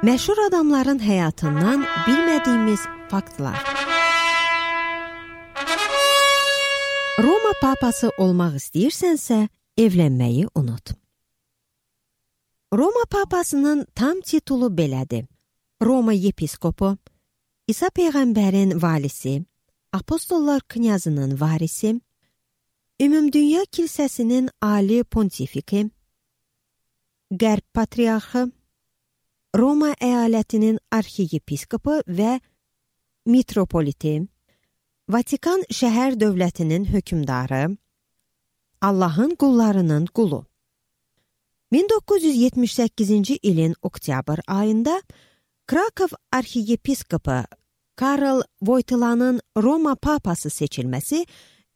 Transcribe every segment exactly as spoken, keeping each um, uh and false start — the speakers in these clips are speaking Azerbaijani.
Məşhur adamların həyatından bilmədiyimiz faktlar. Roma papası olmaq istəyirsənsə, evlənməyi unut. Roma papasının tam titulu belədir. Roma yepiskopu, İsa Peyğəmbərin valisi, Apostollar knyazının varisi, Ümumdünya Kilsəsinin ali pontifiki, Qərb patriarxı, Roma əyalətinin arxiyepiskopu və mitropoliti, Vatikan şəhər dövlətinin hökmdarı, Allahın qullarının qulu. min doqquz yüz yetmiş səkkizinci ilin oktyabr ayında Krakow arxiyepiskopu Karl Wojtylanın Roma papası seçilməsi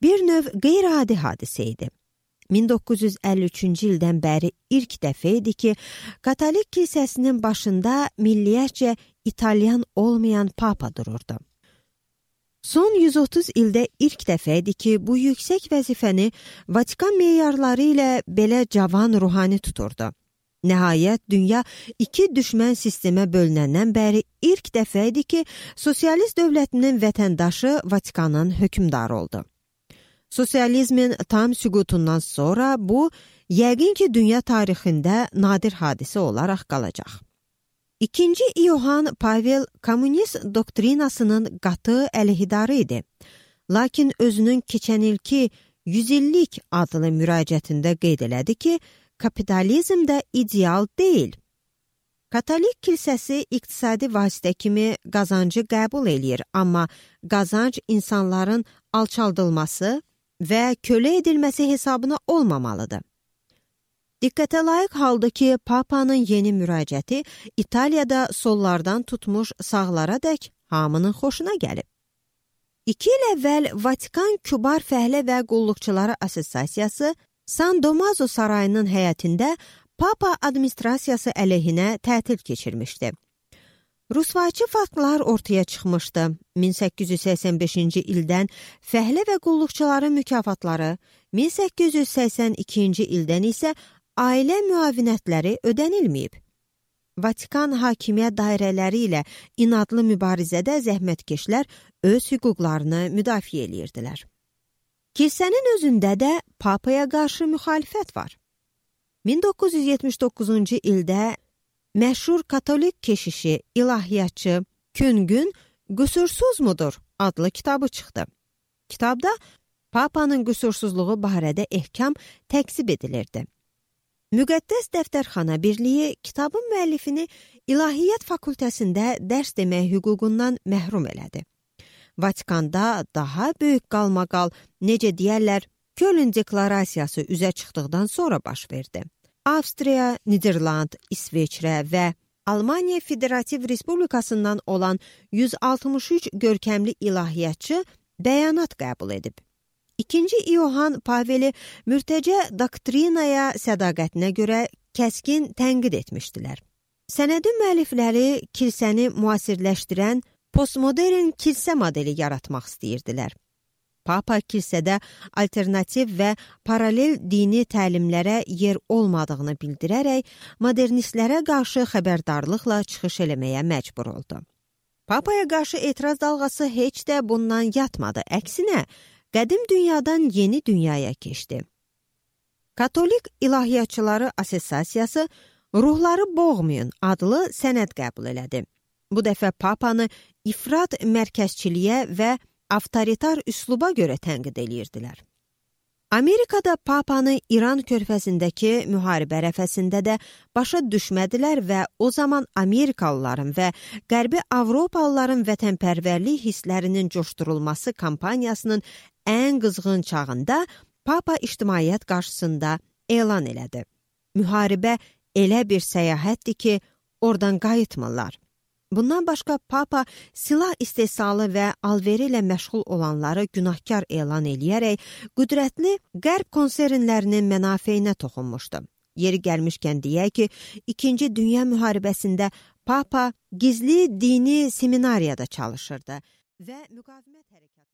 bir növ qeyri-adi hadisə idi. min doqquz yüz əlli üçüncü ildən bəri ilk dəfə idi ki, Katolik kilsəsinin başında milliyyətcə İtalyan olmayan papa dururdu. Son yüz otuz ildə ilk dəfə idi ki, bu yüksək vəzifəni Vatikan meyarları ilə belə cavan ruhani tuturdu. Nəhayət, dünya iki düşmən sistemə bölünəndən bəri ilk dəfə idi ki, sosialist dövlətinin vətəndaşı Vatikanın hökmdarı oldu. Sosializmin tam süqutundan sonra bu, yəqin ki, dünya tarixində nadir hadisə olaraq qalacaq. İkinci İohan Pavel kommunist doktrinasının qatı əleyhidarı idi. Lakin özünün keçən ilki yüz illik adlı müraciətində qeyd elədi ki, kapitalizm də ideal deyil. Katolik kilsəsi iqtisadi vasitə kimi qazancı qəbul eləyir, amma qazanc insanların alçaldılması və kölə edilməsi hesabına olmamalıdır. Diqqətə layiq halda ki, Papanın yeni müraciəti İtaliyada sollardan tutmuş sağlara dək hamının xoşuna gəlib. İki il əvvəl Vatikan Kübar Fəhlə və Qulluqçuları Assosiasiyası San Domazo sarayının həyətində Papa administrasiyası əleyhinə tətil keçirmişdi. Rusvaçı faktlar ortaya çıxmışdı. min səkkiz yüz səksən beşinci ildən fəhlə və qulluqçuların mükafatları, min səkkiz yüz səksən ikinci ildən isə ailə müavinətləri ödənilməyib. Vatikan hakimiyyət dairələri ilə inadlı mübarizədə zəhmətkeşlər öz hüquqlarını müdafiə edirdilər. Kilsənin özündə də papaya qarşı müxalifət var. min doqquz yüz yetmiş doqquzuncu ildə məşhur katolik keşişi, ilahiyyatçı Küngün Qüsursuz mudur adlı kitabı çıxdı. Kitabda Papanın qüsursuzluğu barədə ehkam təqsib edilirdi. Müqəddəs Dəftərxana Birliyi kitabın müəllifini İlahiyyat fakültəsində dərs demək hüququndan məhrum elədi. Vatikanda daha böyük qalmaqal, necə deyərlər, Köln deklarasiyası üzə çıxdıqdan sonra baş verdi. Avstriya, Niderland, İsveçrə və Almaniya Federativ Respublikasından olan yüz altmış üç görkəmli ilahiyyatçı bəyanat qəbul edib. İkinci İohan Paveli mürtəcə doktrinaya sədaqətinə görə kəskin tənqid etmişdilər. Sənədin müəllifləri kilsəni müasirləşdirən postmodern kilsə modeli yaratmaq istəyirdilər. Papa kilsədə alternativ və paralel dini təlimlərə yer olmadığını bildirərək modernistlərə qarşı xəbərdarlıqla çıxış eləməyə məcbur oldu. Papaya qarşı etiraz dalğası heç də bundan yatmadı. Əksinə, qədim dünyadan yeni dünyaya keçdi. Katolik İlahiyyatçıları Assosiasiyası Ruhları Boğmayın adlı sənəd qəbul elədi. Bu dəfə Papanı ifrat mərkəzçiliyə və avtoritar üsluba görə tənqid edirdilər. Amerikada Papanı İran körfəzindəki müharibə ərəfəsində də başa düşmədilər və o zaman Amerikalıların və Qərbi Avropalıların vətənpərvərlik hisslərinin coşdurulması kampaniyasının ən qızğın çağında Papa ictimaiyyət qarşısında elan elədi. Müharibə elə bir səyahətdir ki, oradan qayıtmırlar. Bundan başqa Papa silah istehsalı və alveri ilə məşğul olanları günahkar elan eləyərək qüdrətli qərb konsernlərinin mənafeyinə toxunmuşdu. Yeri gəlmişkən deyək ki, İkinci Dünya müharibəsində Papa gizli dini seminariyada çalışırdı və müqavimət hərəkatı